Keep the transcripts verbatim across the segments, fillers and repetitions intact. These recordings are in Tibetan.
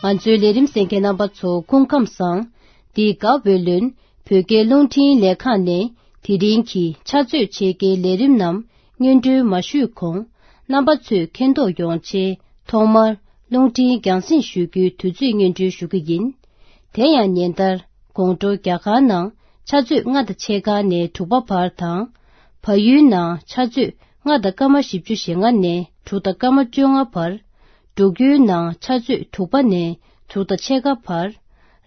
ང་ཚོའི་ལས་རིམ་གསན་མཁན་རྣམ་པ་ཚོ་སྐུ་ཁམས་བཟང་། འདི་ག་ཝེ་ལོན་བོད་སྐད་རླུང་འཕྲིན་ལས་ཁང་ནས་དེ་རིང་གི་ཕྱག་ཚོད་ཕྱེད་ཀའི་ལས་རིམ་རྣམས་སྙན་སྒྲོན་མ་ཞུས་གོང་། རྣམ་པ་ཚོས་མཁྱེན་རྟོགས་ཡོང་ཆེད་ཐོག་མར་རླུང་འཕྲིན་རྒྱང་སྲིང་ཞུ་རྒྱུའི་དུས་ཚོད་སྙན་སྒྲོན་ཞུ་གི་ཡིན། དེ་ཡང་ཉིན་ལྟར་དགོང་དྲོ་རྒྱ་གར་ནང་ཕྱག་ཚོད་ལྔ་དང་ཕྱེད་ཀ་ནས་དྲུག་པ་བར་དང་། བལ་ཡུལ་ནང་ཕྱག་ཚོད་ལྔ་དང་སྐར་མ་བཞི་བཅུ་ཞེ་ལྔ་ནས་དྲུག་དང་སྐར་མ་བཅོ་ལྔ་བར། འབྲུག་ཡུལ་ནང་ཕྱག་ཚོད་དྲུག་པ་ནས་དྲུག་དང་ཕྱེད་ཀ་བར།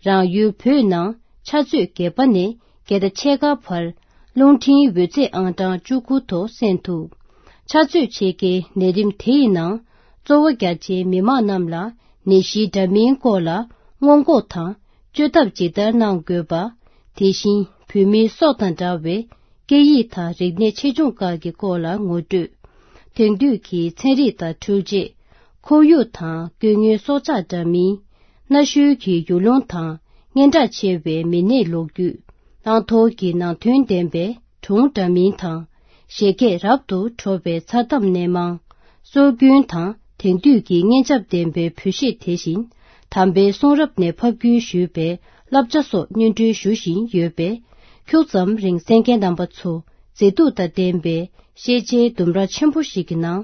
རང་ཡུལ་བོད་ནང་ཕྱག་ཚོད་བརྒྱད་པ་ནས་བརྒྱད་དང་ཕྱེད་ཀ་བར། རླུང་འཕྲིན་འོད་ཚད་ཨང་གྲངས་བཅུ་དགུ་ཐོག་གསན་ཐུབ། ཕྱག་ཚོད་ཕྱེད་ཀའི་ལས་རིམ་དེ་ཡི་ནང་། གཙོ་བོ་རྒྱ་ཆེའི་མི་མང་རྣམས་ལ་ནད་གཞི་འདྲ་མིན་སྐོར་ལ་སྔོན་འགོག་དང་བཅོས་ཐབས་ཇི་ལྟར་གནང་དགོས་པ། དེ་བཞིན་བོད་མིའི་སྲོག་དང་འདྲ་བའི་སྐད་ཡིག་དང་རིག་གནས་ཆེད་སྦྱོང་ཁག་གི་སྐོར་ལ་ངོ་སྤྲོད། དེང་དུས་ཀྱི་ཚན་རིག་དང་འཕྲུལ་ཆས། ཁོར་ཡུག་དང་སྐྱེ་དངོས་སྲོག་ཆགས་འདྲ་མིན། གནའ་ཤུལ་གྱི་ཡུལ་ལུང་དང་སྙན་གྲགས་ཆེ་བའི་མི་སྣའི་ལོ་རྒྱུས། བླང་དོར་གྱི་ནང་དོན་ལྡན་པའི་སྒྲུང་འདྲ་མིན་དང་། བཞད་གད་རབ་ཏུ་བྲོ་བའི་མཚར་གཏམ་སྣེ་མང་། སྲོལ་རྒྱུན་དང་དེང་དུས་ཀྱི་སྙན་འཇེབས་ལྡན་པའི་བོད་གཞས། དེ་བཞིན་དམ་པའི་གསུང་རབ་ནས་ཕབ་བསྒྱུར་ཞུས་པའི་བསླབ་བྱ་སོགས་སྙན་སྒྲོན་ཞུ་བཞིན་ཡོད་པས། ཁྱུག་ཙམ་རིང་གསན་མཁན་རྣམ་པ་ཚོ་མཛེས་སྡུག་དང་ལྡན་པའི་ཤེས་བྱའི་ལྡུམ་ར་ཆེན་པོ་ཞིག་གི་ནང་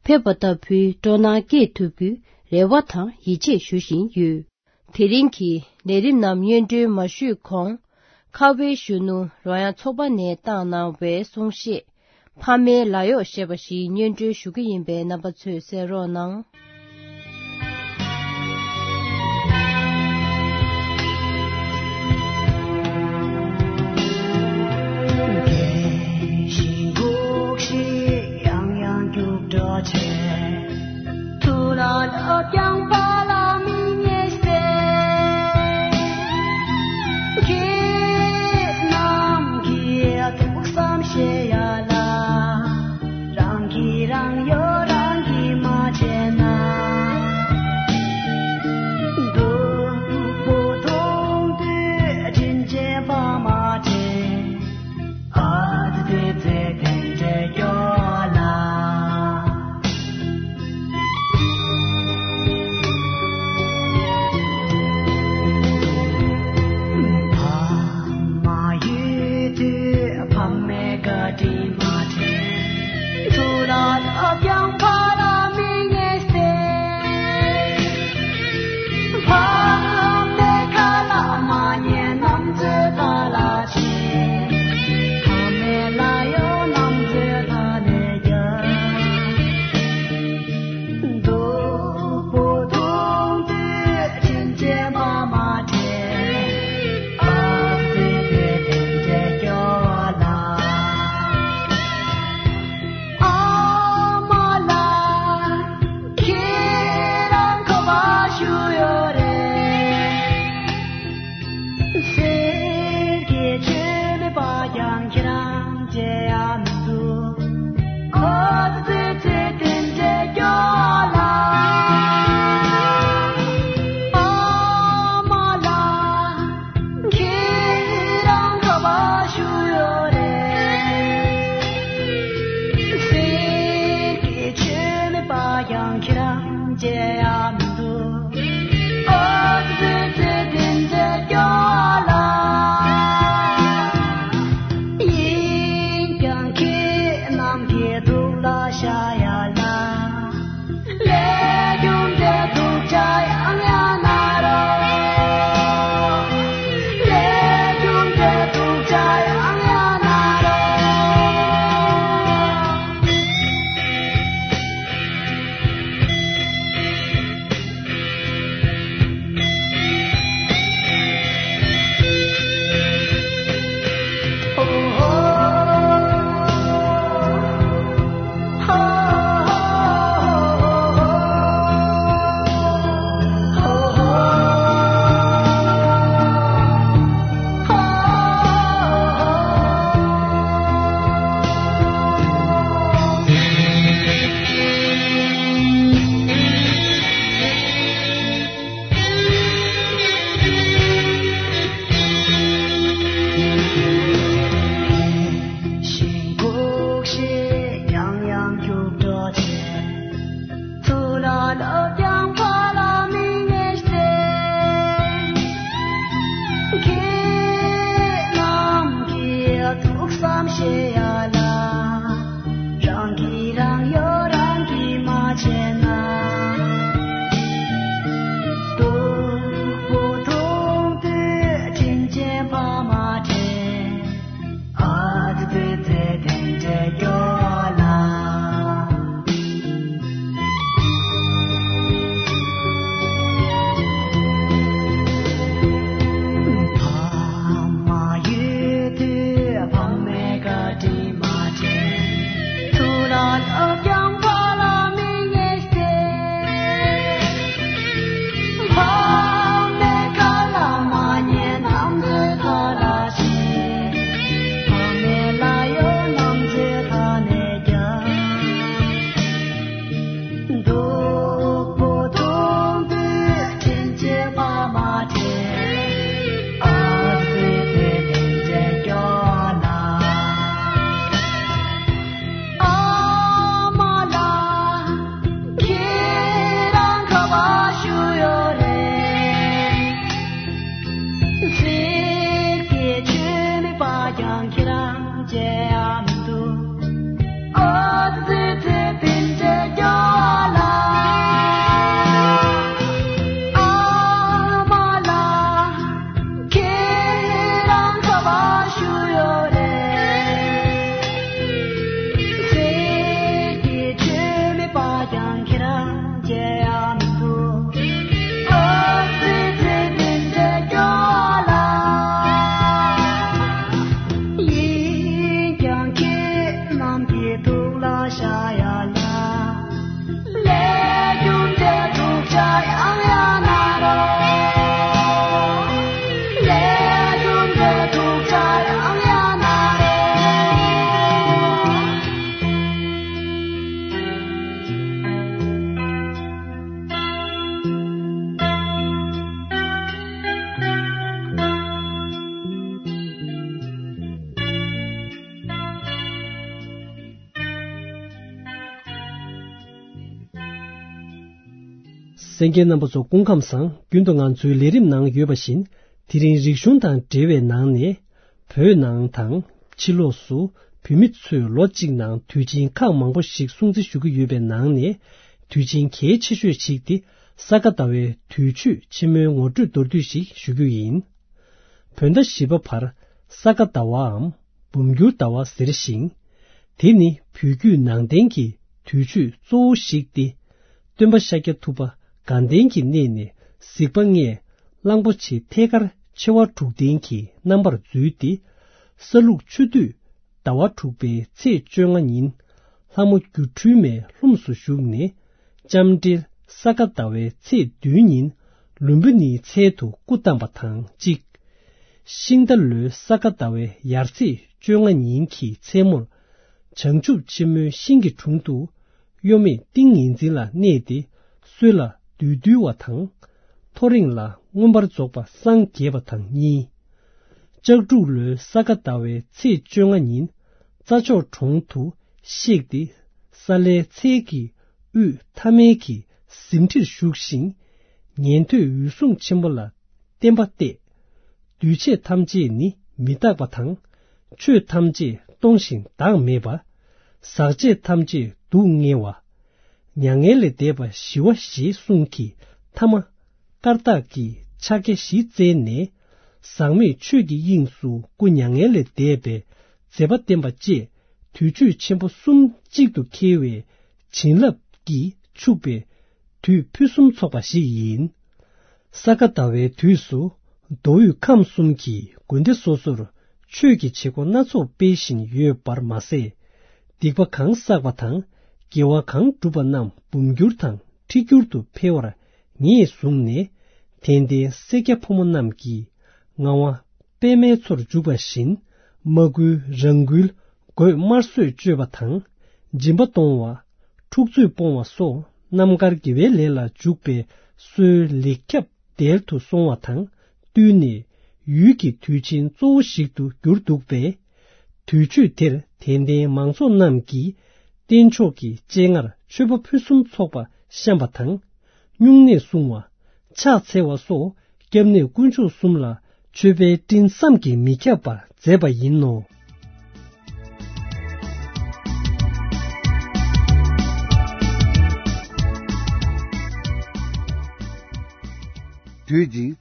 ཕེབས་པ་ལྟ་བུའི་སྤྲོ་སྣང་སྐྱེས་ཐུབ་རྒྱུའི་རེ་བ་དང་ཡིད་ཆེས་ཞུ་བཞིན་ཡོད། དེ་རིང་གི་ལས་རིམ་རྣམས་སྙན་སྒྲོན་མ་ཞུས་གོང་། ཁ་བའི་གཞོན་ནུ་རོལ་དབྱངས་ཚོགས་པ་ནས་བཏང་གནང་བའི་གསུང་བཤད། ཕ་མའི་ལཱ་གཡོག་ཞེས་པ་ཞིག་སྙན་སྒྲོན་ཞུ་གི་ཡིན་པས་རྣམ་པ་ཚོས་གསན་རོགས་གནང་། རྒས་ཤིང་སྡུག་ཤིང་ཡང་ཡང་རྒྱུག་འགྲོ་བྱེད། ཐུགས་ལ་བརླག་ཀྱང་ཕ་ལ་མི་ཉེས་ཟེར། ཁྱེད་རྣམས་ཀྱིས་ཐུགས་བསམ་བཞེས་ཡ་ལ། རང་གིས་རང་གཡོག་རང་གིས་མ་བྱས་ན། སྡུག་པོ་མཐོང་དུས་དྲིན་ཆེན་ཕ་མ་དྲན། ཨ་ཙི་ཙི་དེ་འདྲའི་སྐྱོ་ལ། ཕ་མ་ཡོད་དུས་ཕ་མའི་བཀའ་དྲིན་མ་དྲན། ཐུགས་ལ་བརླག་ཀྱང་ཕ་ལ་མི་ཉེས་ཟེར། ཕ་མའི་ཁ་ལ་མ་ཉན་ནམ་ཚོད་ད་ལ་ཕ་མའི་ལཱ་གཡོག་རྣམས་ཚོས་ད་ལས་རྒྱབ། སྡུག་པོ་མཐོང་དུས་དྲིན་ཆེན་ཕ་མ་དྲན། ཨ་ཙི་ཙི་དེ་འདྲའི་སྐྱོ་ལ། ཨ་མ་ལགས། ཁྱེད་རང་ག་པར་བཞུགས་ཡོད་རེད། གསེར་གྱི་མཆོད་མེ་སྤར་ཀྱང་ཁྱེད་རང་མཇལ་ཡ་མི་འདུག་ཨ་ཙི་ཙི་དེ་འདྲའི་སྐྱོ་ལ། ཨ་མ་ལགས། ཁྱེད་རང་ག་པར་བཞུགས་ཡོད་རེད། གསེར་གྱི་མཆོད་མེ་སྤར་ཀྱང་ཁྱེད་རང་མཇལ་ཡ་མི་འདུག་ཨ་ཙི་ཙི་དེ་འདྲའི་སྐྱོ་ལ། ཡིན་ཀྱང་ཁྱེད་རྣམས་ཀྱི་ཐུགས་ལ་བཞག་ཡ་ལ། ལས་རྒྱུ་འབྲས་ཐུགས་ཅག་ཡང་ཡང་གནང་རོགས། ལས་རྒྱུ་འབྲས་ཐུགས་ཅག་ཡང་ཡང་གནང་རོགས། ཤིང་སྒུག་ཤིང་ཡང་ཡང་རྒྱུག་འགྲོ་བྱེད། ཐུགས་ལ་བརླག་ཀྱང་ཕ་ལ་མི་ཉེས་ཟེར། གསན་མཁན་རྣམ་པ་ཚོ་སྐུ་ཁམས་བཟང་། རྒྱུན་དུ་ང་ཚོའི་ལས་རིམ་ནང་ཡོད་པ་བཞིན། དེ་རིང་རིག་གཞུང་དང་འབྲེལ་བའི་ནང་ནས། བོད་ནང་དང་ཕྱི་ལོགས་སུ་བོད་མི་ཚོས་ལོ་གཅིག་ནང་དུས་ཆེན་ཁག་མང་པོ་ཞིག་སྲུང་བརྩི་ཞུ་གི་ཡོད་པའི་ནང་ནས། དུས་ཆེན་གལ་ཆེ་ཤོས་ཤིག་སྟེ། ས་ག་ཟླ་བའི་དུས་མཆོད་ཆེན་མོའི་ངོ་སྤྲོད་མདོར་བསྡུས་ཤིག་ཞུ་རྒྱུ་ཡིན། བོད་ཟླ་བཞི་པ་བར་ས་ག་ཟླ་བའམ་འབུམ་འགྱུར་ཟླ་བ་ཟེར་ཞིང་། དེ་ནི་བོད་བརྒྱུད་ནང་བསྟན་གྱི་དུས་མཆོད་གཙོ་བོ་ཞིག་སྟེ། སྟོན་པ་ཤཱཀྱ་ཐུབ་པ་དགའ་ལྡན་གྱི་གནས་ནས་གཟིགས་པ་ལྔས་གླང་པོ་ཆེ་ཐལ་དཀར་མཆེ་བ་དྲུག་ལྡན་གྱི་རྣམ་པར་འཛུལ་ཏེ། ས་ལུག་ཆུ་དུས་ཟླ་བ་དྲུག་པའི་ཚེས་བཅོ་ལྔ་ཉིན་ལྷ་མོ་སྒྱུ་འཕྲུལ་མའི་ལྷུམས་སུ་ཞུགས་ནས། ལྕམ་དྲལ་ས་ག་ཟླ་བའི་ཚེས་བདུན་ཉིན་ལུམ་བི་ནིའི་ཚལ་དུ་སྐུ་བལྟམས་པ་དང་གཅིག། ཤིང་རྟ་ལོའི་ས་ག་ཟླ་བའི་ཡར་ཚེས་བཅོ་ལྔ་ཉིན་གྱི་མཚན་མོར། བྱང་ཆུབ་ཆེན་མོའི་ཤིང་གི་དྲུང་དུ། གཡོ་མེད་ཏིང་ངེ་འཛིན་ལ་གནས་ཏེ། སྲོད་ལ་བདུད་འདུལ་བ་དང་། ཐོ་རེངས་ལ་མངོན་པར་རྫོགས་པ་སངས་རྒྱས་པ་དང་གཉིས། ལྕགས་འབྲུག་ལོའི་ས་ག་ཟླ་བའི་ཚེས་བཅོ་ལྔ་ཉིན། རྩྭ་མཆོག་གྲོང་དུ་གཤེགས་ཏེ། ས་ལའི་ཚལ་གྱི་དབུས་ཐ་མལ་གྱི་གཟིམ་ཁྲིར་བཞུགས་ཤིང་། ཉན་ཐོས་འོད་སྲུང་ཆེན་པོ་ལ་བསྟན་པ་གཏད། འདུས་བྱས་ཐམས་ཅད་ནི་མི་རྟག་པ་དང་། ཆོས་ཐམས་ཅད་སྟོང་ཞིང་བདག་མེད་པ། ཟག་བཅས་ཐམས་ཅད་སྡུག་བསྔལ་བ། མྱ་ངན་ལས་འདས་པ་ཞི་བ་ཞེས་གསུངས་ཀྱི་ཐ་མ། བཀར་བཏགས་ཀྱི་ཕྱག་རྒྱ་བཞི་བཙལ་ནས། ཟག་མེད་ཆོས་ཀྱི་དབྱིངས་སུ་སྐུ་མྱ་ངན་ལས་འདས་པའི་མཛད་པ་བསྟན་པ་བཅས། དུས་མཆོད་ཆེན་པོ་གསུམ་གཅིག་ཏུ་འཁེལ་བའི་བྱིན་རླབས་ཀྱིས་ཕྱུག་པའི་དུས་ཕུན་སུམ་ཚོགས་པ་ཞིག་ཡིན། ས་ག་ཟླ་བའི་དུས་སུ་མདོ་དབུས་ཁམས་གསུམ་གྱི་དགོན་སྡེ་སོ་སོར་ཆོས་ཀྱི་བྱེད་སྒོ་སྣ་ཚོགས་སྤེལ་བཞིན་ཡོད་པར་མ་ཟད། སྡིག་པ་གང་བསགས་པ་དང་དགེ་བ་གང་བསྒྲུབས་པ་རྣམས་འབུམ་འགྱུར་དང་ཁྲི་འགྱུར་དུ་འཕེལ་བར་ངེས་བཟུང་ནས། དད་ལྡན་སེར་སྐྱ་ཕོ་མོ་རྣམས་ཀྱིས་ངག་དབང་པདྨའི་མཚོར་འཇུག་པ་བཞིན། མ་བསྐུལ་རང་འགུལ་སྒོས་དམར་གསོད་གཅོད་པ་དང་། སྦྱིན་པ་གཏོང་བ། འཁྲུག་རྩོད་སྤོང་བ་སོགས་རྣམ་དཀར་དགེ་བའི་ལས་ལ་འཇུག་པའི་སྲོལ་ལེགས་ཁྱབ་དལ་དུ་སོང་བ་དང་བསྟུན་ནས། ཡུལ་གྱི་དུས་ཆེན་གཙོ་བོ་ཞིག་ཏུ་གྱུར་འདུག་པས། དུས་མཆོད་དེར་དད་ལྡན་མང་ཚོགས་རྣམས་ཀྱིས་རྟེན་མཆོག་གི་སྤྱན་སྔར་མཆོད་པ་ཕུན་སུམ་ཚོགས་པ་བཤམས་པ་དང་། སྨྱུང་གནས་སྲུང་བ། ཕྱག་འཚལ་བ་སོགས་སྐྱབས་གནས་དཀོན་མཆོག་གསུམ་ལ་མཆོད་པའི་སྤྲིན་བསམ་གྱིས་མི་ཁྱབ་པ་མཛད་པ་ཡིན་ནོ། དུས་གཅིག།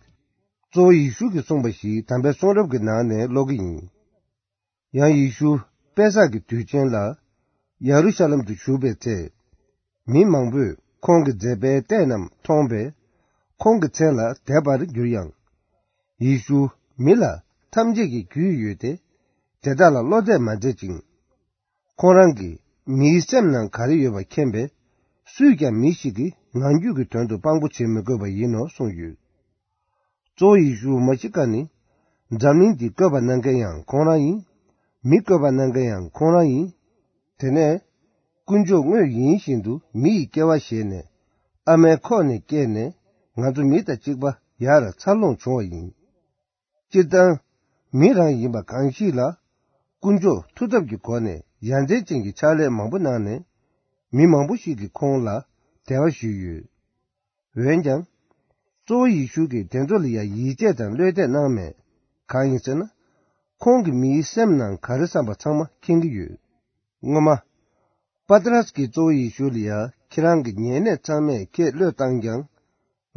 གཙོ་བོ་ཡེ་ཤུ་གིས་གསུངས་པ་ཞིག་དམ་པའི་གསུང་རབ་ཀྱི་ནང་ནས་ཀློག་གི་ཡིན། ཡང་ཡེ་ཤུ་པེ་སག་གི་དུས་ཆེན་ལ་ཡ་རུ་ཤ་ལམ་དུ་བཞུགས་པའི་ཚེ། མི་མང་པོས་ཁོང་གི་མཛད་པའི་ལྟས་རྣམས་མཐོང་བས། ཁོང་གི་མཚན་ལ་དད་པར་གྱུར་ཡང་། ཡེ་ཤུ་མི་ལ་ཐམས་ཅད་ཀྱི་རྒྱུས་ཡོད་དེ། དེ་དག་ལ་བློ་གཏད་མ་མཛད་ཅིང་། ཁོང་རང་གིས་མིའི་སེམས་ནང་ག་རེ་ཡོད་པ་མཁྱེན་པས། སུས་ཀྱང་མི་ཞིག་གི་ངང་རྒྱུད་ཀྱི་དོན་དུ་དཔང་པོ་བྱེད་མི་དགོས་པ་ཡིན་ནོ་གསུངས་ཡོད། གཙོ་བོ་ཡེ་ཤུ་མ་ཤི་ཀ་ནི། འཛམ་གླིང་འདི་བཀོད་པ་གནང་མཁན་ཡང་ཁོང་རང་ཡིན། མི་བཀོད་པ་གནང་མཁན་ཡང་ཁོང་རང་ཡིན། དེ་ནས། དཀོན་མཆོག་དངོས་ཡིན་བཞིན་དུ་མི་ཡི་སྐྱེ་བ་བཞེས་ནས། ཨ་མའི་ཁོག་ནས་སྐྱེས་ནས། ང་ཚོ་མི་དང་གཅིག་པ་ཡར་འཚར་ལོངས་བྱུང་བ་ཡིན། སྤྱིར་བཏང་། མི་རང་ཡིན་པ་གང་ཞིག་ལ། དཀོན་མཆོག་མཐུ་སྟོབས་ཀྱི་སྒོ་ནས་ཡ་མཚན་ཅན་གྱི་ཕྱག་ལས་མང་པོ་གནང་ནས། མི་མང་པོ་ཞིག་གིས་ཁོང་ལ་དད་པ་ཞུས་ཡོད། འོན་ཀྱང་། གཙོ་བོ་ཡེ་ཤུ་གིས་དེ་ཚོ་ལ་ཡང་ཡིད་ཆེས་དང་བློ་གཏད་གནང་མེད། གང་ཡིན་ཟེར་ན། ཁོང་གིས་མིའི་སེམས་ནང་ག་རེ་བསམ་པ་ཚང་མ་མཁྱེན་གྱི་ཡོད། སྔོན་མ། པ་ཏྲ་སི་གིས་གཙོ་བོ་ཡེ་ཤུ་ལ་ཡང་ཁྱེད་རང་གི་ཉེ་གནས་ཚང་མས་ཁྱེད་བློས་བཏང་ཀྱང་།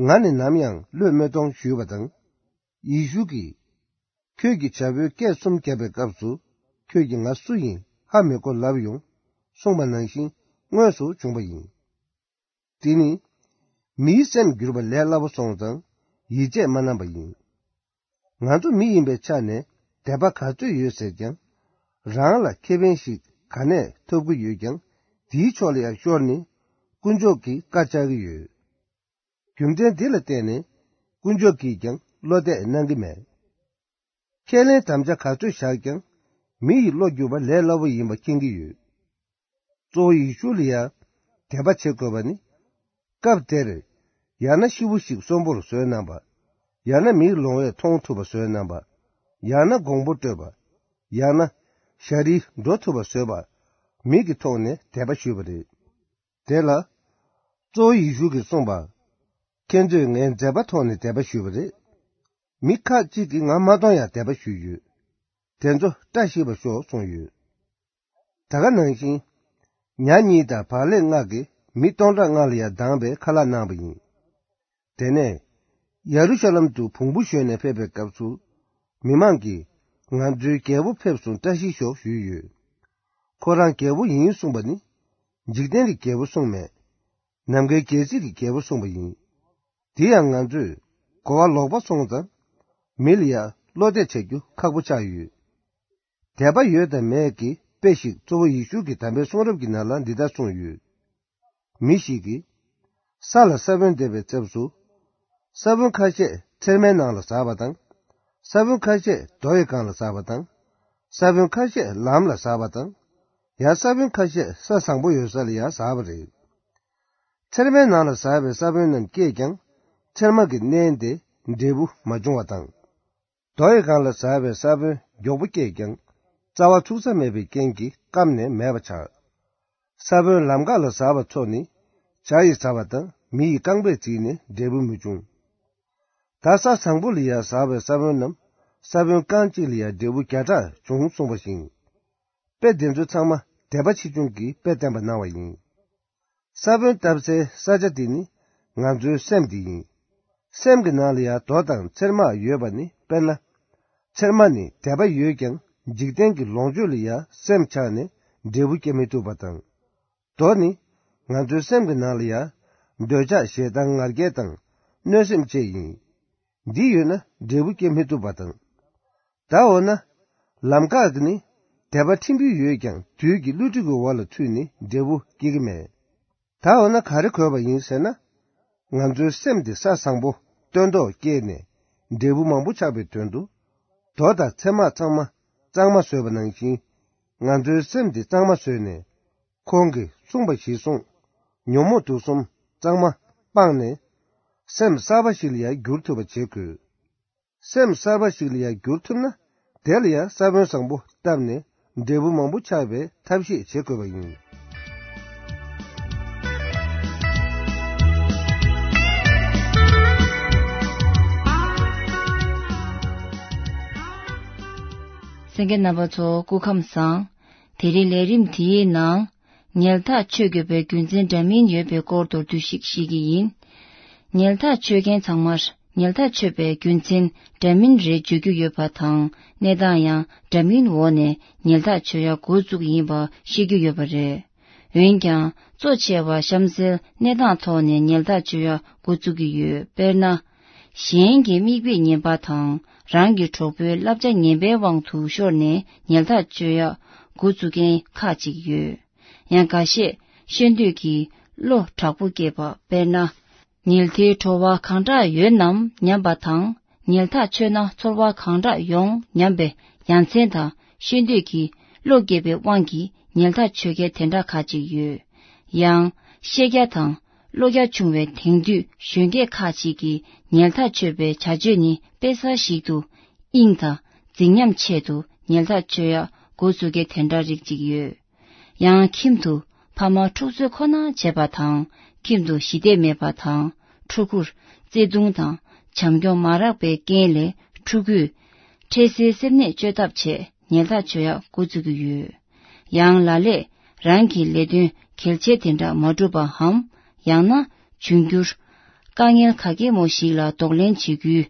ང་ནི་ནམ་ཡང་བློས་མི་གཏོང་ཞུས་པ་དང་། ཡེ་ཤུ་གིས། ཁྱོད་ཀྱིས་བྱ་ཕོའི་སྐད་གསུམ་བརྒྱབ་པའི་སྐབས་སུ། ཁྱོད་ཀྱིས་ང་སུ་ཡིན་ཧ་མི་གོ་ལབ་ཡོང་། གསུངས་པ་ནང་བཞིན་དངོས་སུ་བྱུང་བ་ཡིན། དེ་ནི། མིའི་སེམས་བསྒྱུར་བ་ལས་སླ་པོ་སོང་ཙང་ཡིད་ཆེས་མ་གནང་པ་ཡིན། ང་ཚོ་མི་ཡིན་པའི་ཆ་ནས་དད་པ་ག་ཚོད་ཡོད་ཟེར་ཀྱང་། རང་ལ་ཁེ་ཕན་ཞིག་ག་ནས་ཐོབ་ཀྱི་ཡོད་ཀྱང་། དེའི་ཕྱོགས་ལ་ཡང་ཤོར་ནས་དཀོན་མཆོག་གི་བཀའ་བཅག་གི་ཡོད། རྒྱུ་མཚན་འདི་ལ་བརྟེན་ནས་དཀོན་མཆོག་གིས་ཀྱང་བློ་གཏད་གནང་གི་མེད། ཁས་ལེན་དམ་བཅའ་ག་ཚོད་བཞག་ཀྱང་། མི་ཡི་བློ་བསྒྱུར་བ་ལས་སླ་པོ་ཡིན་པ་མཁྱེན་གྱི་ཡོད། གཙོ་བོ་ཡེ་ཤུ་ལ་ཡང་དད་པ་བྱེད་དགོས་པ་ནི། སྐབས་དེར། ཡང་ན་ཤི་བོ་ཞིག་གསོན་པོར་བཟོས་གནང་བ། ཡང་ན་མིའི་ལོང་བས་མཐོང་ཐུབ་པ་བཟོས་གནང་བ། ཡང་ན་དགོང་པོ་སྤྲོད་པ། ཡང་ན་ཞ་རིལ་འགྲོ་ཐུབ་པ་བཟོས་པ། མིག་གི་ཐོག་ནས་དད་པ་ཞུས་པ་རེད། དེ་ལ། གཙོ་བོ་ཡེ་ཤུ་གིས་གསུངས་པ། ཁྱེད་ཚོས་ངའི་མཛད་པ་ཐོག་ནས་དད་པ་ཞུས་པ་རེད། མི་ཁག་ཅིག་གིས་ང་མ་མཐོང་ཡང་དད་པ་ཞུས་ཡོད། དེ་ཚོ་བཀྲ་ཤིས་པ་ཤོག་གསུངས་ཡོད། ད་ག་ནང་བཞིན། ཉ་གཉིས་དང་བག་ལེབ་ལྔ་གིས་མི་སྟོང་ཕྲག་ལྔ་ལ་ཡང་སྡང་བའི་ཁ་ལག་གནང་བ་ཡིན། དེ་ནས། ཡ་རུ་ཤ་ལམ་དུ་བོང་བུ་ཞོན་ནས་ཕེབས་པའི་སྐབས་སུ། མི་མང་གིས། ང་ཚོའི་རྒྱལ་པོ་ཕེབས་སོང་བཀྲ་ཤིས་ཤོག་ཞུས་ཡོད། ཁོ་རང་རྒྱལ་པོ་ཡིན་གསུངས་པ་ནི། འཇིག་རྟེན་གྱི་རྒྱལ་པོ་གསུངས་མེད། ནམ་མཁའི་རྒྱལ་སྲིད་ཀྱི་རྒྱལ་པོ་གསུངས་པ་ཡིན། དེ་ཡང་ང་ཚོས་གོ་བ་ལོག་པ་སོང་ཙང་། མི་ལ་ཡང་བློ་གཏད་བྱ་རྒྱུ་ཁག་པོ་ཆགས་ཡོད། དད་པ་ཡོད་དང་མེད་ཀྱི་དཔེ་ཞིག་གཙོ་བོ་ཡེ་ཤུ་གི་དམ་པའི་གསུང་རབ་ཀྱི་ནང་ལ་འདི་ལྟར་གསུངས་ཡོད། མི་ཞིག་གིས། ས་ལ་ས་བོན་འདེབས་པའི་ཚབ་ཏུ། ས་བོན་ཁ་ཤས་ཚེར་མའི་ནང་ལ་ཟགས་པ་དང་། ས་བོན་ཁ་ཤས་རྡོ་ཡི་སྒང་ལ་ཟགས་པ་དང་། ས་བོན་ཁ་ཤས་ལམ་ལ་ཟགས་པ་དང་། ཡང་ས་བོན་ཁ་ཤས་ས་བཟང་པོ་ཡོད་ས་ལ་ཡང་ཟགས་པ་རེད། ཚེར་མའི་ནང་ལ་ཟགས་པའི་ས་བོན་རྣམས་སྐྱེས་ཀྱང་། ཚེར་མ་གི་གནས་དེ་འབྲས་བུ་མ་བྱུང་བ་དང་། རྡོ་ཡི་སྒང་ལ་ཟགས་པའི་ས་བོན་མགྱོགས་པོ་སྐྱེས་ཀྱང་། རྩ་བ་ཚུགས་ས་མེད་པའི་རྐྱེན་གྱིས་སྐམ་ནས་མེད་པ་ཆགས། ས་བོན་ལམ་འགག་ལ་ཟགས་པ་ཚོ་ནི། བྱ་ཡིས་ཟ་བ་དང་མི་ཡི་རྐང་པས་བརྫིས་ནས་འབྲས་བུ་མི་འབྱུང་། ད་ས་བཟང་པོ་ལ་ཡང་ཟགས་པའི་ས་བོན་རྣམས་ས་བོན་རྐང་གཅིག་ལ་ཡང་འབྲས་བུ་བརྒྱ་ཕྲག་འབྱུང་གསུངས་པ་བཞིན། དཔེ་དེ་ཚོ་ཚང་མ་དད་པ་ཆེ་ཆུང་གི་དཔེ་བསྟན་པ་གནང་བ་ཡིན། ས་བོན་བཏབ་སའི་ས་ཆ་དེ་ནི་ང་ཚོའི་སེམས་དེ་ཡིན། སེམས་ཀྱི་ནང་ལ་ཡང་རྡོ་དང་ཚེར་མ་ཡོད་པ་ནི་དཔེར་ན། ཚེར་མ་ནི་དད་པ་ཡོད་ཀྱང་འཇིག་རྟེན་གྱི་ལོངས་སྤྱོད་ལ་ཡང་སེམས་ཆགས་ནས་འབྲས་བུ་སྐྱེ་མི་ཐུབ་པ་དང་། རྡོ་ནི་ང་ཚོའི་སེམས་ཀྱི་ནང་ལ་ཡང་འདོད་ཆགས་ཞེ་སྡང་ང་རྒྱལ་དང་གནོད་སེམས་བཅས་ཡིན། འདི་ཡོད་ན་འབྲས་བུ་སྐྱེ་མི་ཐུབ་པ་དང་། ད་འོ་ན། ལམ་འགག་གི་ནི་དད་པ་ཕྲན་བུ་ཡོད་ཀྱང་དུས་ཀྱི་བསླུ་བྲིད་ཀྱི་འོག་ལ་ཚུད་ནས་འབྲས་བུ་སྐྱེ་གི་མེད། ད་འོ་ན་ག་རེ་དགོས་པ་ཡིན་ཟེར་ན། ང་ཚོའི་སེམས་དེ་ས་བཟང་པོ་སྟོན་ཐོག་སྐྱེས་ནས་འབྲས་བུ་མང་པོ་ཆགས་པའི་དོན་དུ། རྡོ་དང་ཚེར་མ་ཚང་མ་གཙང་མ་བཟོས་པ་ནང་བཞིན། ང་ཚོའི་སེམས་དེ་གཙང་མ་བཟོས་ནས། ཁོང་གིས་གསུངས་པ་གཞིར་བཟུང་། ཉོན་མོངས་དུག་གསུམ་གཙང་མ་སྤངས་ནས། སེམས་གསར་པ་ཞིག་ལ་ཡང་འགྱུར་ཐུབ་པ་བྱེད་དགོས། སེམས་གསར་པ་ཞིག་ལ་ཡང་འགྱུར་ཐུབ་ན། དེ་ལ་ཡང་ས་བོན་བཟང་པོ་བཏབ་ནས་འབྲས་བུ་མང་པོ་ཆགས་པའི་ཐབས་ཤེས་བྱེད་དགོས་པ་ཡིན། གསན་མཁན་རྣམ་པ་ཚོ་སྐུ་ཁམས་བཟང་། དེ་རིང་ལས་རིམ་དེའི་ནང་། ཉལ་ཐག་ཆོད་དགོས་པའི་རྒྱུ་མཚན་འདྲ་མིན་ཡོད་པའི་སྐོར་མདོར་བསྡུས་ཤིག་ཞུ་གི་ཡིན། ཉལ་ཐག་ཆོད་མཁན་ཚང་མར་ཉལ་ཐག་ཆོད་པའི་རྒྱུ་མཚན་འདྲ་མིན་རེ་བརྗོད་རྒྱུ་ཡོད་པ་དང་གནས་སྟངས་ཡང་འདྲ་མིན་འོག་ནས་ཉལ་ཐག་ཆོད་ཡ་འགོ་བཙུགས་ཡིན་པ་ཤེས་རྒྱུ་ཡོད་པ་རེད། འོན་ཀྱང་གཙོ་ཆེ་བ་གཤམ་གསལ་གནས་སྟངས་ཐོག་ནས་ཉལ་ཐག་ཆོད་ཡ་འགོ་བཙུགས་ཀྱི་ཡོད། དཔེར་ན། གཞན་གྱི་མིག་དཔེ་ངན་པ་དང་རང་གི་གྲོགས་པོའི་བསླབ་བྱ་ངན་པའི་དབང་དུ་ཤོར་ནས་ཉལ་ཐག་ཆོད་ཡ་འགོ་བཙུགས་མཁན་ཁག་ཅིག་ཡོད། ཡང་འགའ་ཤས་ཤེས་འདོད་ཀྱིས་བློ་དྲག་པོ་སྐྱེས་པ། དཔེར་ན། ཉལ་ཐའི་བྲོ་བ་གང་དྲག་ཡོད་ནམ་སྙམ་པ་དང་ཉལ་ཐག་ཆོད་ན་ཚོར་བ་གང་དྲག་ཡོང་སྙམ་པའི་ཡ་མཚན་དང་ཤེས་འདོད་ཀྱིས་བློ་སྐྱེས་པའི་དབང་གིས་ཉལ་ཐག་ཆོད་མཁན་དེ་འདྲ་ཁག་ཅིག་ཡོད། ཡང་། ཤེས་རྒྱ་དང་བློ་རྒྱ་ཆུང་བའི་དེང་དུས་གཞོན་སྐྱེས་ཁག་ཅིག་གིས་ཉལ་ཐག་ཆོད་པའི་བྱ་སྤྱོད་ནི་དཔེ་གསར་ཞིག་ཏུ་དབྱིངས་དང་རྫིག་ཉམས་ཆེད་དུ་ཉལ་ཐག་ཆོད་ཡ་འགོ་བཙུགས་མཁན་དེ་འདྲ་རིགས་ཅིག་ཡོད། ཡང་ཁྱིམ་དུ་ཕ་མ་འཁྲུག་རྩོད་ཁོ་ན་བྱེད་པ་དང་ཁྱིམ་དུ་ཞི་བདེ་མེད་པ་དང་ཕྲུ་གུར་བརྩེ་དུང་དང་བྱམས་སྐྱོང་མ་རག་པའི་རྐྱེན་ལས་ཕྲུ་གུས་འཕྲལ་སེལ་སེམས་ནད་བཅོས་ཐབས་ཆེད་ཉལ་ཐག་ཆོད་ཡ་འགོ་བཙུགས་ཀྱི་ཡོད། ཡང་ལ་ལས་རང་གི་ལས་དོན་གལ་ཆེ་དེ་འདྲ་མ་འགྲུབ་པའམ་ཡང་ན་འབྱུང་འགྱུར་དཀའ་ངལ་ག་གེ་མོ་ཞིག་ལ་གདོང་ལེན་བྱེད་རྒྱུའི་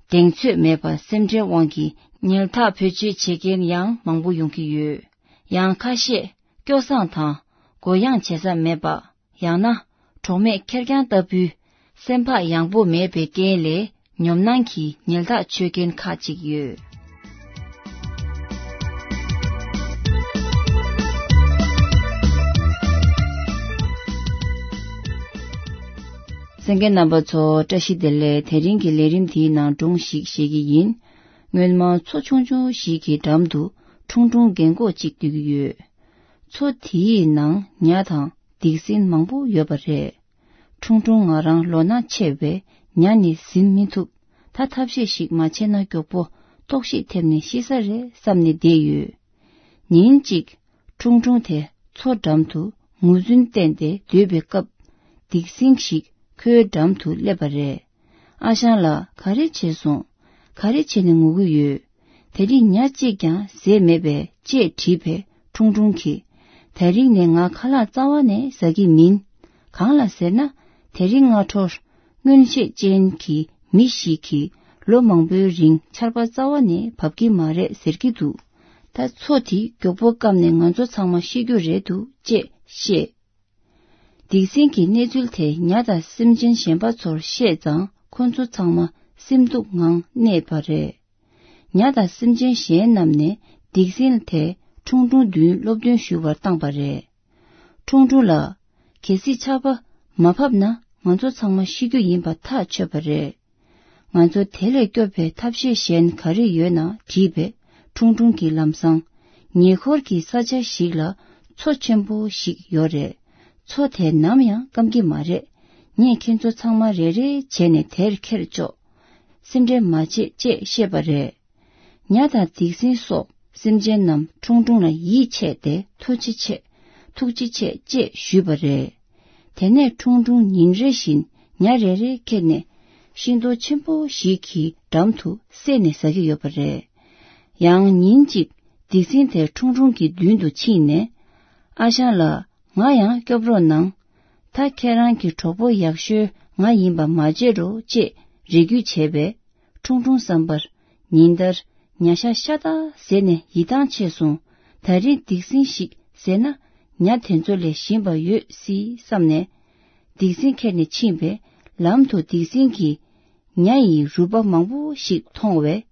གདེང་ཚོད་མེད་པ་སེམས་ཁྲལ་དབང་གིས་ཉལ་ཐག་བེད་སྤྱོད་བྱེད་མཁན་ཡང་མང་པོ་ཡོང་གི་ཡོད། ཡང་ཁ་ཤས་སྐྱོ་སངས་དང་དགོས་ཡངས་བྱེད་ས་མེད་པ། ཡང་ན་གྲོགས་མེད་ཁེར་རྐྱང་ལྟ་བུའི་སེམས་བག་ཡངས་པོ་མེད་པའི་རྐྱེན་ལས་ཉོབ་སྣང་གིས་ཉལ་ཐག་ཆོད་མཁན་ཁག་ཅིག་ཡོད། གསན་མཁན་རྣམ་པ་ཚོ་བཀྲ་ཤིས་བདེ་ལེགས། དེ་རིང་གི་ལས་རིམ་དེའི་ནང་སྒྲུང་ཞིག་བཤད་ཀྱི་ཡིན། སྔོན་མ་མཚོ་ཆུང་ཆུང་ཞིག་གི་འགྲམ་དུ་ཁྲུང་ཁྲུང་རྒན་གོག་ཅིག་སྡོད་ཀྱི་ཡོད། མཚོ་དེའི་ནང་ཉ་དང་སྡིག་སྲིན་མང་པོ་ཡོད་པ་རེད། ཁྲུང་ཁྲུང་ང་རང་ལོ་ན་ཆེ་བས་ཉ་ནི་ཟིན་མི་ཐུབ། ད་ཐབས་ཤེས་ཤིག་མ་བྱས་ན་མགྱོགས་པོ་ལྟོགས་ཤིག་ཐེབས་ནས་ཤི་ས་རེད་བསམ་ནས་བསྡད་ཡོད། ཉིན་གཅིག་ཁྲུང་ཁྲུང་དེ་མཚོ་འགྲམ་དུ་ངོས་འཛིན་བསྟན་ཏེ་སྡོད་པའི་སྐབས་སྡིག་སྲིན་ཞིག་ ཁོའི་འགྲམ་དུ་སླེབས་པ་རེད། ཨ་ཞང་ལགས། ག་རེ་བྱས་སོང་། ག་རེ་བྱས་ནས་ངུ་གི་ཡོད། དེ་རིང་ཉ་གཅིག་ཀྱང་བཟས་མེད་པས་ཅེས་དྲིས་པས། ཁྲུང་ཁྲུང་གིས། དེ་རིང་ནས་ང་ཁ་ལག་རྩ་བ་ནས་ཟ་གི་མིན། གང་ལ་ཟེར་ན། དེ་རིང་སྔ་དྲོར། མངོན་ཤེས་ཅན་གྱི་མི་ཞིག་གིས་ལོ་མང་པོའི་རིང་ཆར་པ་རྩ་བ་ནས་བབས་ཀྱི་མ་རེད་ཟེར་གྱི་འདུག་ད་མཚོ་དེ་མགྱོགས་པོ་བསྐམས་ནས་ང་ཚོ་ཚང་མ་ཤི་རྒྱུ་རེད་འདུག་ཅེས་བཤད། སྡིག་སྲིན་གྱིས་གནས་ཚུལ་དེ་ཉ་དང་སེམས་ཅན་གཞན་པ་ཚོར་བཤད་ཙང་ཁོ་ཚོ་ཚང་མ་སེམས་སྡུག་ངང་གནས་པ་རེད། ཉ་དང་སེམས་ཅན་གཞན་རྣམས་ནས་སྡིག་སྲིན་དེ་ཁྲུང་ཁྲུང་མདུན་སློབ་སྟོན་ཞུ་བར་བཏང་པ་རེད། ཁྲུང་ཁྲུང་ལགས། གལ་སྲིད་ཆར་པ་མ་བབས་ན་ང་ཚོ་ཚང་མ་ཤི་རྒྱུ་ཡིན་པ་ཐག་ཆོད་པ་རེད། ང་ཚོ་དེ་ལས་སྐྱོབ་པའི་ཐབས་ཤེས་གཞན་ག་རེ་ཡོད་ན་དྲིས་པས། ཁྲུང་ཁྲུང་གིས་ལམ་སང་། ཉེ་འཁོར་གྱི་ས་ཆ་ཞིག་ལ་མཚོ་ཆེན་པོ་ཞིག་ཡོད་རེད། མཚོ་དེ་ནམ་ཡང་སྐམ་གྱི་མ་རེད། ངས་ཁྱེད་ཚོ་ཚང་མ་རེ་རེ་བྱས་ནས་དེར་ཁྱེར་ཆོག་སེམས་ཁྲལ་མ་བྱེད་ཅེས་བཤད་པ་རེད། ཉ་དང་སྡིག་སྲིན་སོགས་སེམས་ཅན་རྣམས་ཁྲུང་ཁྲུང་ལ་ཡིད་ཆེས་ཏེ་ཐུགས་རྗེ་ཆེ། ཐུགས་རྗེ་ཆེ་ཅེས་ཞུས་པ་རེད། དེ་ནས་ཁྲུང་ཁྲུང་ཉིན་རེ་བཞིན་ཉ་རེ་རེ་ཁྱེར་ནས་ཤིང་ཏོག་ཆེན་པོ་ཞིག་གི་འགྲམ་དུ་བསྲེགས་ནས་ཟ་གི་ཡོད་པ་རེད། ཡང་ཉིན་གཅིག་སྡིག་སྲིན་དེ་ཁྲུང་ཁྲུང་གི་མདུན་དུ་ཕྱིན་ནས། ཨ་ཞང་ལགས། ང་ཡང་སྐྱོབ་རོགས་གནང་། ད་ཁྱེད་རང་གི་གྲོགས་པོ་ཡག་ཤོས་ང་ཡིན་པ་མ་བརྗེད་རོགས་ཅེས་རེ་སྐུལ་བྱས་པས། ཁྲུང་ཁྲུང་བསམ་པར། ཉིན་ལྟར་ཉ་ཤ་ཤ་སྟག་བཟས་ནས་ཡིད་ཐང་ཆད་སོང་། ད་རིང་སྡིག་སྲིན་ཞིག་བཟས་ན་ཉ་དེ་ཚོ་ལས་ཞིམ་པ་ཡོད་སྲིད་བསམ་ནས། སྡིག་སྲིན་ཁྱེར་ནས་ཕྱིན་པས། ལམ་དུ་སྡིག་སྲིན་གྱིས་ཉ་ཡི་རུས་པ་མང་པོ་ཞིག་མཐོང་བས།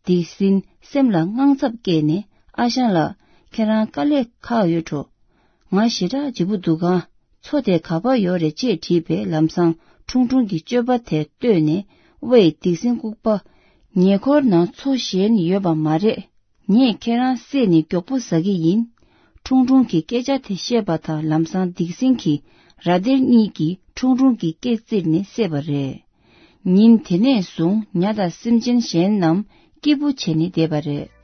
སྡིག་སྲིན་སེམས་ལ་དངངས་འཚབ་སྐྱེས་ནས། ཨ་ཞང་ལགས། ཁྱེད་རང་དཀའ་ལས་ཁག་ཡོད་འགྲོ། ང་ཞེ་དྲག་ལྗིད་པོ་འདུག་ག་མཚོ་དེ་ག་པར་ཡོད་རེད་ཅེས་དྲིས་པས། ལམ་སང་ཁྲུང་ཁྲུང་གིས་སྤྱོད་པ་དེ་བལྟས་ནས། ཝེ། སྡིག་སྲིན་ལྐུགས་པ། ཉེ་འཁོར་ན་མཚོ་གཞན་ཡོད་པ་མ་རེད། ངས་ཁྱེད་རང་བསད་ནས་མགྱོགས་པོ་ཟ་གི་ཡིན། ཁྲུང་ཁྲུང་གིས་སྐད་ཆ་དེ་བཤད་པ་དང་། ལམ་སང་སྡིག་སྲིན་གྱི་ར་སྡེར་གཉིས་ཀྱིས་ཁྲུང་ཁྲུང་གི་སྐེ་བཙིར་ནས་བསད་པ་རེད། ཉིན་དེ་ནས་བཟུང་ཉ་དང་སེམས་ཅན་གཞན་རྣམས་སྐྱིད་པོ་བྱས་ནས་བསྡད་པ་རེད།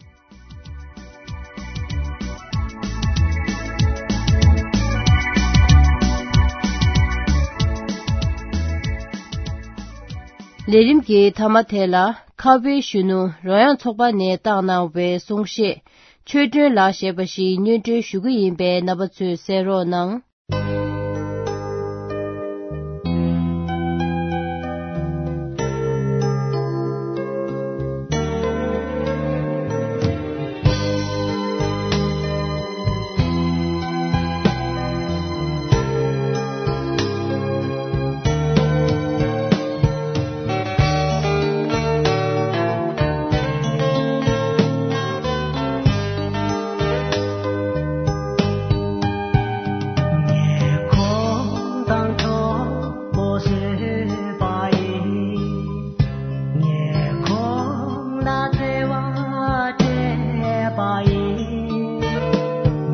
ལས་རིམ་གྱི་མཐའ་མ་དེ་ལ། ཁ་བའི་གཞོན་ནུ་རོལ་དབྱངས་ཚོགས་པ་ནས་བཏང་གནང་བའི་གསུང་བཤད། ཆོས་སྒྲོན་ལགས་ཞེས་པ་ཞིག་སྙན་སྒྲོན་ཞུ་གི་ཡིན་པས། རྣམ་པ་ཚོས་གསན་རོགས་གནང་། ཉེ་འཁོར་དང་གྲོགས་པོ་བཟོས་པ་ཡིན། ཉེ་འཁོར་ལ་བརྩེ་བ་སྤྲད་པ་ཡིན།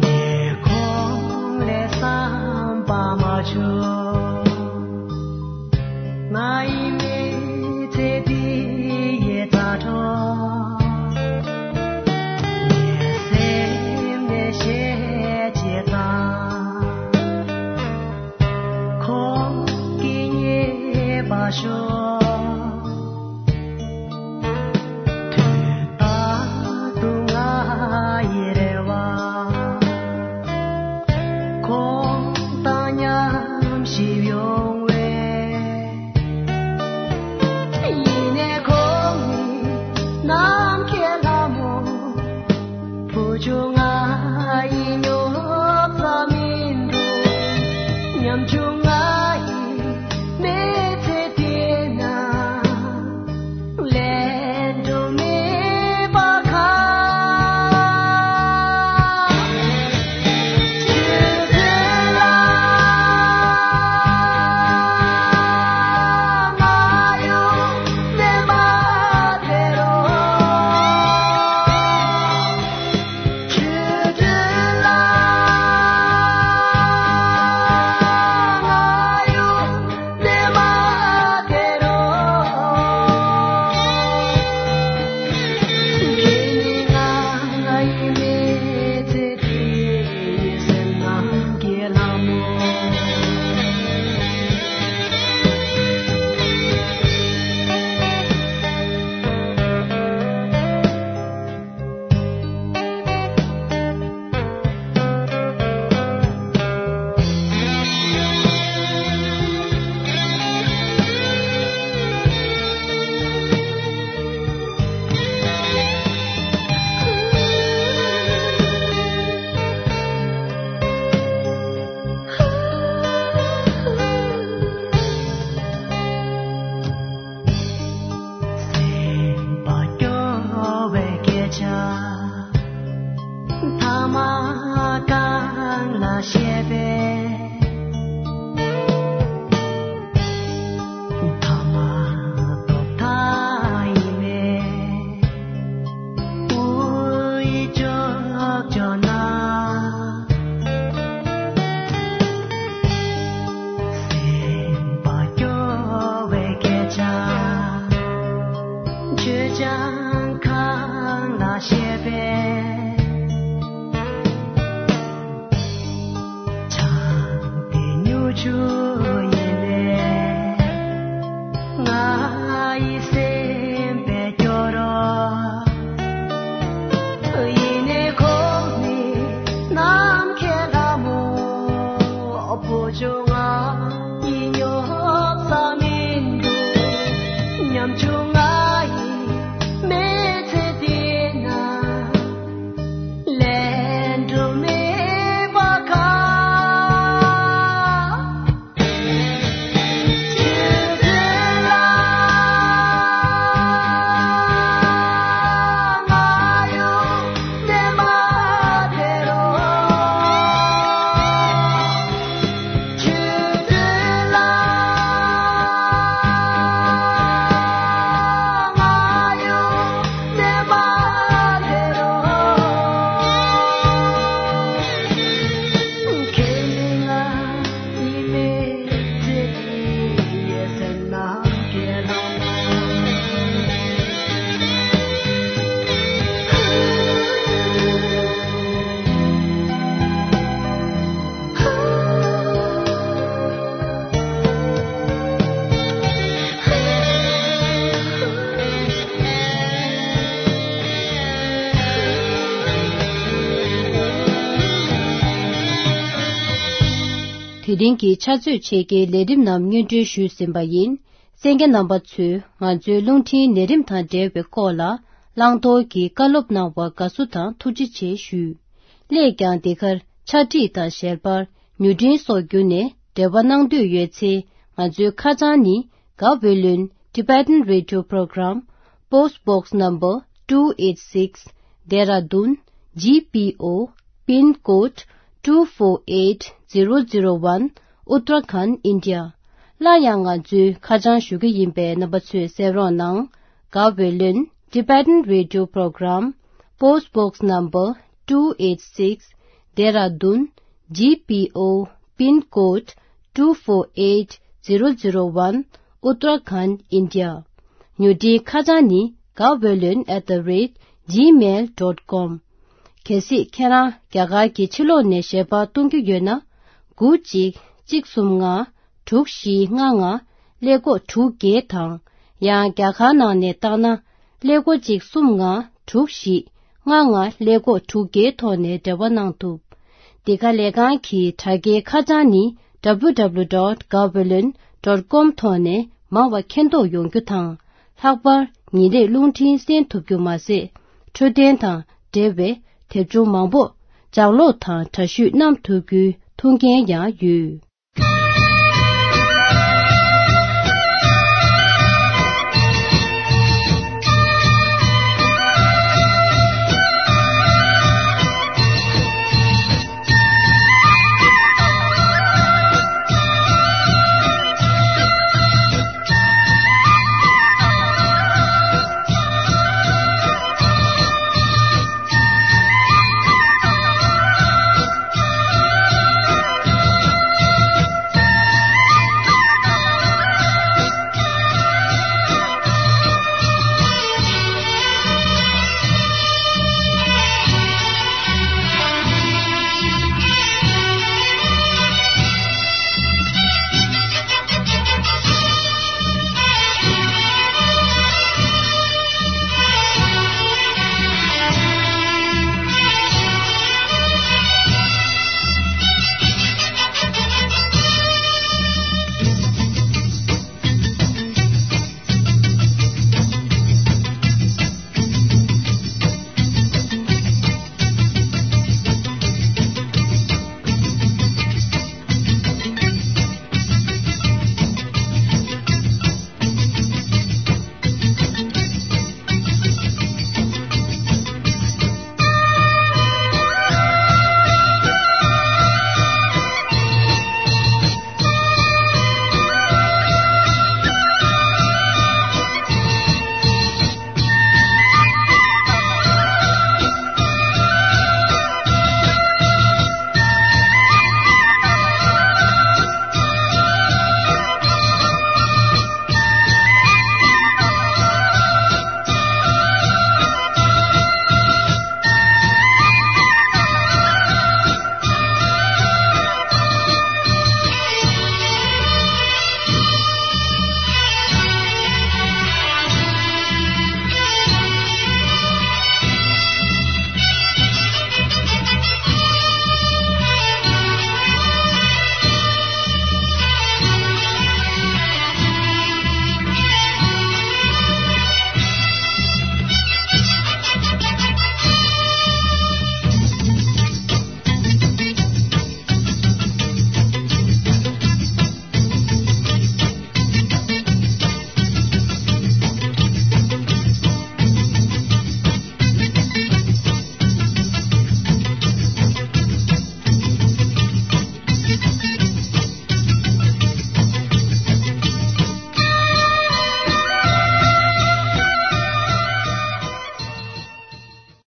ཉེ་འཁོར་ལས་བསམ་པ་མ་བྱུང་། ང་ཡི་མི་ཚེ་འདི་ཡི་ད་དྲོ། ངའི་སེམས་ནས་བཤད་ཅེས་དང་། ཁོང་གིས་ཉེས་པ་ཤོར། དུས་རྟག་ཏུ་ང་ཡི་རེ་བ། ཁོང་དང་མཉམ་ཞིག་ཡོང་བས། ཡིན་ནའི་ཁོང་ནི་ནམ་མཁའི་ལྷ་མོ། བུ་ཆུང་ང་ཡི་སྙོབ་ས་མིན་འགྲོ། ཉམ་ཆུང་ང་ཡི་མི་ཚེ་འདི་ན། དེ་རིང་གི་ཕྱག་ཚོད་ཕྱེད་ཀའི་ལས་རིམ་རྣམས་སྙན་སྒྲོན་ཞུས་ཟིན་པ་ཡིན། གསན་མཁན་རྣམ་པ་ཚོས་ང་ཚོའི་རླུང་འཕྲིན་ལས་རིམ་དང་འབྲེལ་བའི་སྐོར་ལ་བླང་དོར་གྱི་བཀའ་སློབ་གནང་བར་དགའ་བསུ་དང་ཐུགས་རྗེ་ཆེ་ཞུ། སླད་ཀྱང་འདི་གར་ཕྱག་བྲིས་དང་ཞལ་པར། མྱུར་འཕྲིན་སོགས་བརྒྱུད་ནས་འབྲེལ་བ་གནང་འདོད་ཡོད་ཚེ། ང་ཚོའི་ཁ་བྱང་ནི། Gaweylon Tibetan Radio Program, Post Box Number two eight six, Dehradun, G P O, Pin Code two four eight zero zero one, Uttarakhand, India. སླར་ཡང་ང་ཚོའི་ཁ་བྱང་ཞུ་གི་ཡིན་པས་རྣམ་པ་ཚོས་གསན་རོགས་གནང་། Gaweylon Tibetan Radio Program, Post Box Number two eight six, Dehradun, G P O, Pin Code two four eight zero zero one, Uttarakhand, India. མྱུར་འཕྲིན་ཁ་བྱང་ནི། Gaweylon at the rate gmail dot com། གལ་སྲིད་ཁྱེད་རང་རྒྱ་གར་གྱི་ཕྱི་ལོགས་ནས་ཞལ་པར་གཏོང་རྒྱུ་ཡོད་ན། དགུ་གཅིག་གཅིག་གསུམ་ལྔ་དྲུག་བཞི་ལྔ་ལྔ་ཀླད་ཀོར་དྲུག་བརྒྱད་དང་། ཡང་རྒྱ་གར་ནང་ནས་བཏང་ན། ཀླད་ཀོར་གཅིག་གསུམ་ལྔ་དྲུག་བཞི་ལྔ་ལྔ་ཀླད་ཀོར་དྲུག་བརྒྱད་ཐོག་ནས་འབྲེལ་བ་གནང་ཐུབ། འདི་ག་ལས་ཁང་གི་དྲ་རྒྱའི་ཁ་བྱང་ནི། W W W dot gaweylon dot com ཐོག་ནས་མང་བ་མཁྱེན་རྟོགས་ཡོང་རྒྱུ་དང་། ལྷག་པར་ཉིན་རེར་རླུང་འཕྲིན་གསན་ཐུབ་རྒྱུ་མ་ཟད། འཕྲོད་བསྟེན་དང་འབྲེལ་བའི་དེབ་ཆུང་མང་པོ་ལྗགས་ཀློག་དང་འདྲ་བཤུས་གནང་ཐུབ་རྒྱུའི་ཐུགས་འགན་ཡང་ཡོད།